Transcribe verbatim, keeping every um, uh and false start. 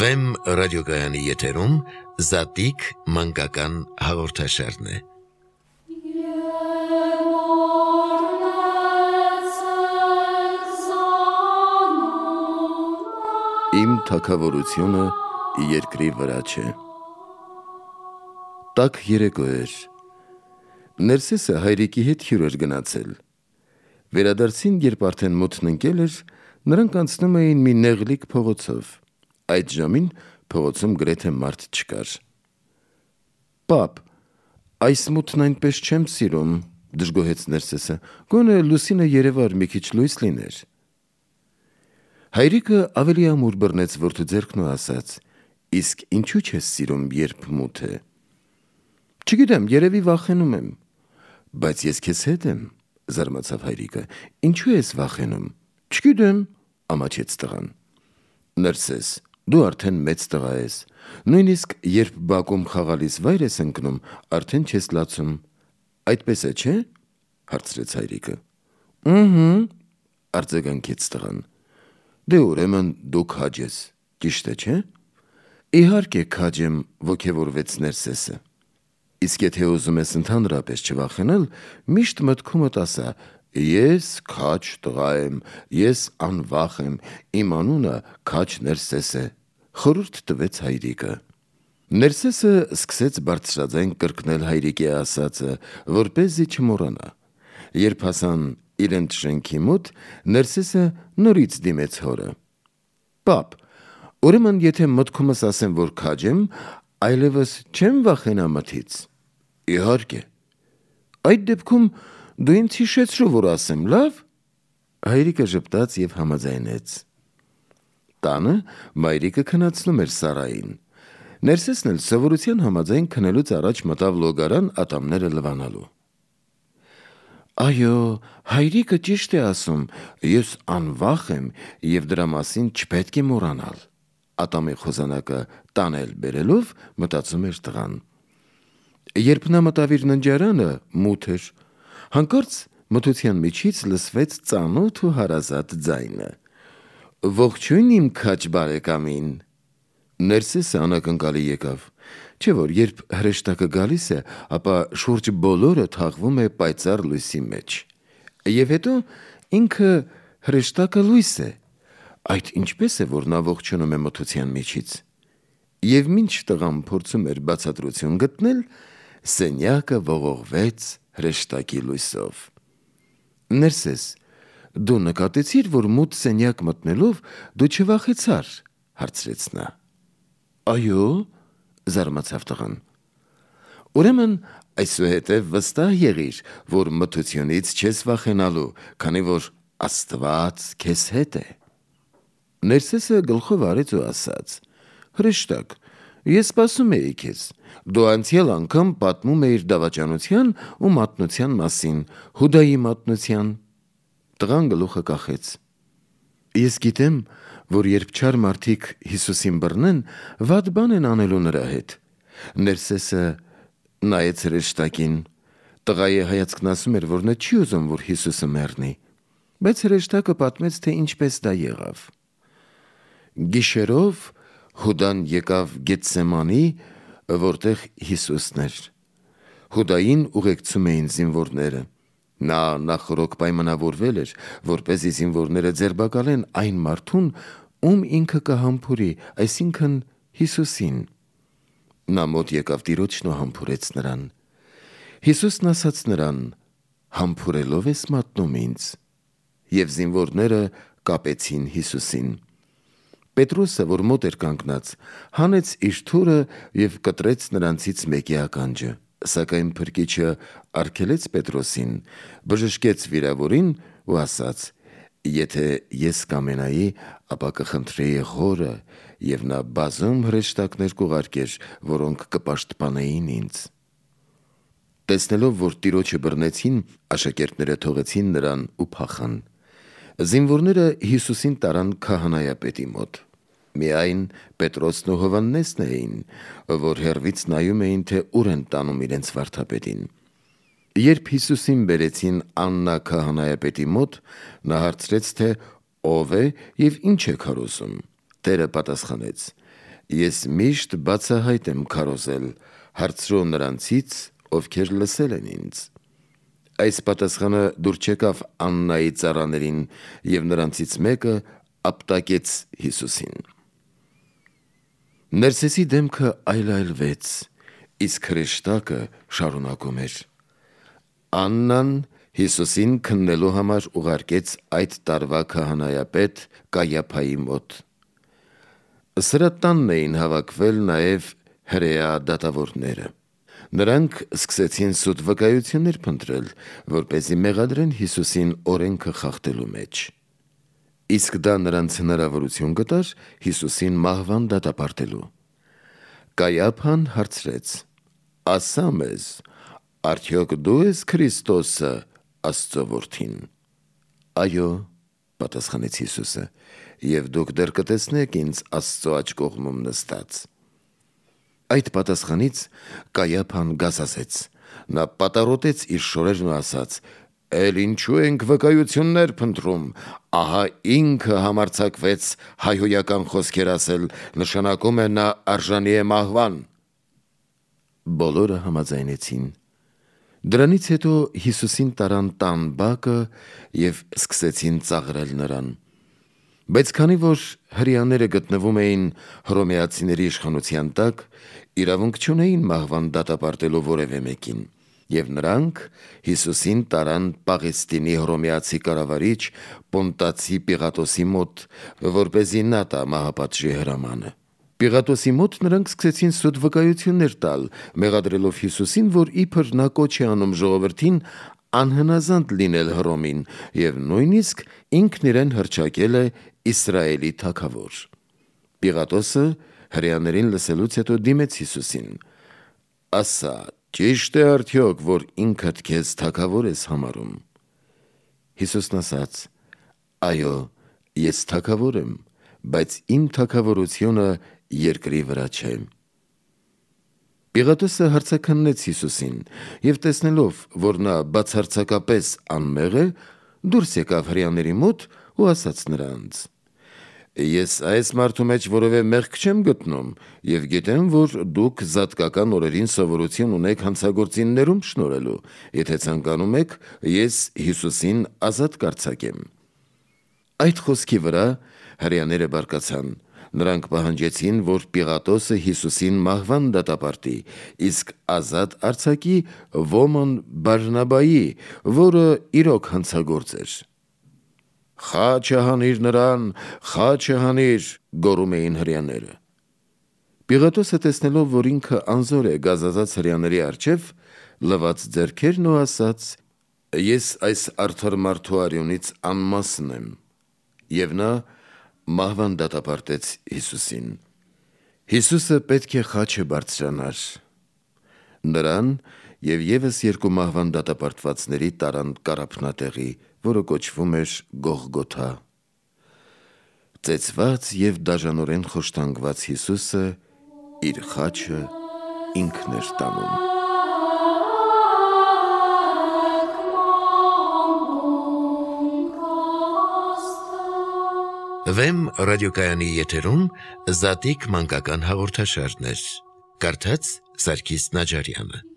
Վեմ ռադիոգայանի եթերում Զատիկ մանկական հաղորդաշարն է։ Իմ թագավորությունը երկրի վրա չէ։ Տաք երեկո էր։ Ներսեսը հայրիկի հետ հյուր էր գնացել։ Վերադարձին, երբ արդեն մութն ընկել էր, նրանք անցնում էին մի նեղլիկ փողոցով։ Այդ ժամին փողոցում գրեթե մարդ չկար։ Պապ, այս մութն այնպես չեմ սիրում, դժգոհեց Ներսեսը, գոնե լուսինը երևար մի քիչ լույս լիներ։ Հայրիկը ավելի ամուր բռնեց որդու ձեռքն ու ասաց. Իսկ ինչու չես սիրում, երբ մութ է։ Չգիտեմ, երևի վախենում եմ։ Բայց ես քեզ հետ եմ, զարմացավ հայրիկը։ Ինչու ես վախենում։ Չգիտեմ, ամաչեց տղան։ Ներսես, դու արդեն մեծ տղա ես։ Նույնիսկ երբ բակում խաղալիս վայր ես ընկնում, արդեն չես լացում։ Այդպես է, չէ՞, հարցրեց հայրիկը։ Ըհը, արձագանքեց տղան։ Դե ուրեմն դու քաջ ես, ճիշտ է, չէ՞։ Իհարկե քաջ եմ, ոգևորվեց Ներսեսը։ Իսկ եթե ուզում ես ընդհանրապես չվախենալ, միշտ մտքումդ ասա. ես քաջ տղա եմ, ես անվախ եմ, իմ անունը Քաջ Ներսես է, խորհուրդ տվեց հայրիկը։ Ներսեսը սկսեց բարձրաձայն կրկնել հայրիկի ասածը, որպեսզի չմոռանա։ Երբ հասան իրենց շենքի մոտ, Ներսեսը նորից դիմեց հորը։ Պապ, ուրեմն եթե մտքումս ասեմ, որ քաջ եմ, այլևս չեմ վախենա մթից։ Իհարկե։ Այդ դեպքում դու ինձ հիշեցրու, որ ասեմ, լավ։ Հայրիկը ժպտաց և համաձայնեց։ Տանը մայրիկը քնացնում էր Սարային։ Ներսեսն էլ սովորության համաձայն քնելուց առաջ մտավ լոգարան ատամները լվանալու։ Այո, հայրիկը ճիշտ է ասում, ես անվախ եմ և դրա մասին չպետք է մոռանալ, ատամի խոզանակը տանել բերելով մտածում էր տղան։ Երբ նա մտավ իր ննջարանը, մութ էր, հանկարծ մթության միջից լսվեց ծանոթ ու հարազատ ձայնը. Ողջույն իմ քաջ բարեկամին։ Ներսեսը անակնկալի եկավ, չէ՞ որ երբ հրեշտակը գալիս է, ապա շուրջ բոլորը թաղվում է պայծառ լույսի մեջ։ Եվ հետո ինքը հրեշտակը լույս է։ Այդ ինչպես է, որ նա ողջունում է մթության միջից։ Եվ մինչ տղան փորձում էր բացատրություն գտնել, սենյակը ողողվեց հրեշտակի լույսով։ Ներսես, դու նկատեցի՞ր, որ մութ սենյակ մտնելով դու չվախեցար, հարցրեց նա։ Այո, զարմացավ տղան։ Ուրեմն այսուհետև վստահ եղիր, որ մթությունից չես վախենալու, քանի որ Աստված քեզ հետ է։ Ներսեսը գլխով արեց ու ասաց. Հրեշտակ, ես սպասում էի քեզ։ Դու անցյալ անգամ պատմում էիր դավաճանության ու մատնության մասին, Հուդայի մատնության։ Տղան գլուխը կախեց։ Ես գիտեմ, որ երբ չար մարդիկ Հիսուսին բռնեն, վատ բան են անելու նրա հետ։ Ներսեսը նայեց հրեշտակին։ Տղայի հայացքն ասում էր, որ նա չի ուզում, որ Հիսուսը մեռնի։ Բայց հրեշտակը պատմեց, թե ինչպես դա եղավ։ Գիշերով Հուդան եկավ Գեթսեմանի, որտեղ Հիսուսն էր։ Հուդային ուղեկցում էին զինվորները։ Նա նախօրոք պայմանավորվել էր, որպեսզի զինվորները ձերբակալեն այն մարդուն, ում ինքը կհամբուրի, այսինքն Հիսուսին։ Նա մոտ եկավ տիրոջն ու համբուրեց նրան։ Հիսուսն ասաց նրան. Համբուրելով ես մատնում ինձ։ Եվ զինվորները կապեցին Հիսուսին։ Պետրոսը, որ մոտ էր կանգնած, հանեց իր թուրը և կտրեց նրանցից մեկի ականջը, սակայն փրկիչը արգելեց Պետրոսին, բժշկեց վիրավորին ու ասաց. Եթե ես կամենայի, ապա կխնդրեի Հորը, և նա բազում հրեշտակներ կուղարկեր, որոնք կպաշտպանեին ինձ։ Տեսնելով, որ տիրոջը բռնեցին, աշակերտները թողեցին նրան ու փախան։ Զինվորները Հիսուսին տարան քահանայապետի մոտ։ Միայն Պետրոսն ու Հովհաննեսն էին, որ հեռվից նայում էին, թե ուր են տանում իրենց վարդապետին։ Երբ Հիսուսին բերեցին Աննա քահանայապետի մոտ, նա հարցրեց, թե ով է և ինչ է քարոզում։ Տերը պատասխանեց. Ես միշտ բացահայտ եմ քարոզել, հարցրու նրանցից, ովքեր լսել են ինձ։ Այս պատասխանը դուր չեկավ Աննայի ծառաներին, և նրանցից մեկը ապտակեց Հիսուսին։ Ներսեսի դեմքը այլայլվեց, իսկ հրեշտակը շարունակում էր։ Աննան Հիսուսին քննելու համար ուղարկեց այդ տարվա քահանայապետ Կայափայի մոտ։ Սրա տանն էին հավաքվել նաև հրեա դատավորները։ Նրանք սկսեցին սուտ վկայություններ փնտրել, որպեսզի մեղադրեն Հիսուսին օրենքը խախտելու մեջ։ Իսկ դա նրանց հնարավորություն կտար Հիսուսին մահվան դատապարտելու։ Կայափան հարցրեց. «Ասա մեզ, արդյոք դու ես Քրիստոսը, Աստծո որդին»։ «Այո», պատասխանեց Հիսուսը, «և դուք դեռ կտեսնեք ինձ Աստծո աջ կողմում նստած»։ Այդ պատասխանից Կայափան գազազեց։ Նա պատառոտեց իր շորերն ու ասաց. «Էլ ինչու ենք վկայություններ փնտրում, ահա ինքը համարձակվեց հայհոյական խոսքեր ասել, նշանակում է նա արժանի է մահվան»։ Բոլորը համաձայնեցին։ Դրանից հետո Հիսուսին տարան տան բակը և սկսեցին ծաղրել նրան։ Բայց քանի որ հրեաները գտնվում էին հռոմեացիների իշխանության տակ, իրավունք չունեին մահվան դատապարտելու որևէ մեկին, և նրանք Հիսուսին տարան Պաղեստինի հռոմեացի կառավարիչ Պոնտացի Պիղատոսի մոտ, որպեսզի նա տա մահապատժի հրամանը։ Պիղատոսի մոտ նրանք սկսեցին սուտ վկայություններ տալ, մեղադրելով Հիսուսին, որ իբր նա կոչ է անում ժողովրդին անհնազանդ լինել Հռոմին, և նույնիսկ ինքն իրեն հռչակել է Իսրայելի թագավոր։ Պիղատոսը հրեաներին լսելուց հետո դիմեց Հիսուսին. «Ասա, ճի՞շտ է արդյոք, որ ինքդ քեզ թագավոր ես համարում»։ Հիսուսն ասաց. «Այո, ես թագավոր եմ, բայց իմ թագավորությունը երկրի վրա չէ»։ Պիղատոսը հարցաքննեց Հիսուսին և տեսնելով, որ նա բացարձակապես անմեղ է, դուրս եկավ հրեաների մոտ ու ասաց նրանց. «Ես այս մարդու մեջ որևէ մեղք չեմ գտնում և գիտեմ, որ դուք զատկական օրերին սովորություն ունեք հանցագործիններում շնորհելու, եթե ցանկանում եք, ես Հիսուսին ազատ կարձակեմ»։ Այդ խոսքի վրա հրեաները բարկացան։ Նրանք պահանջեցին, որ Պիղատոսը Հիսուսին մահվան դատապարտի, իսկ ազատ արձակի Ոմն Բարնաբայի, որը իրոք հանցագործ էր։ «Խաչը հանիր նրան, խաչը հանիր», գոռում էին հրեաները։ Պիղատոսը տեսնելով, որ ինքը անզոր է գազազած հրեաների առջև, լվաց ձեռքերն ու ասաց. «Ես այս արդար մարդու արյունից անմասն եմ»։ Եվ նա մահվան դատապարտեց Հիսուսին։ Հիսուսը պետք է խաչը բարձրանար։ Նրան և ևս երկու մահվան դատապարտվածների տարան կառափնատեղի, որը կոչվում էր Գողգոթա։ Ծեծված և դաժանորեն խոշտանգված Հիսուսը իր խաչը ինքն էր տանում։ Վեմ ռադիոկայանի եթերում Զատիկ մանկական հաղորդաշարներ։ Կարդաց Սարգիս Նաջարյանը։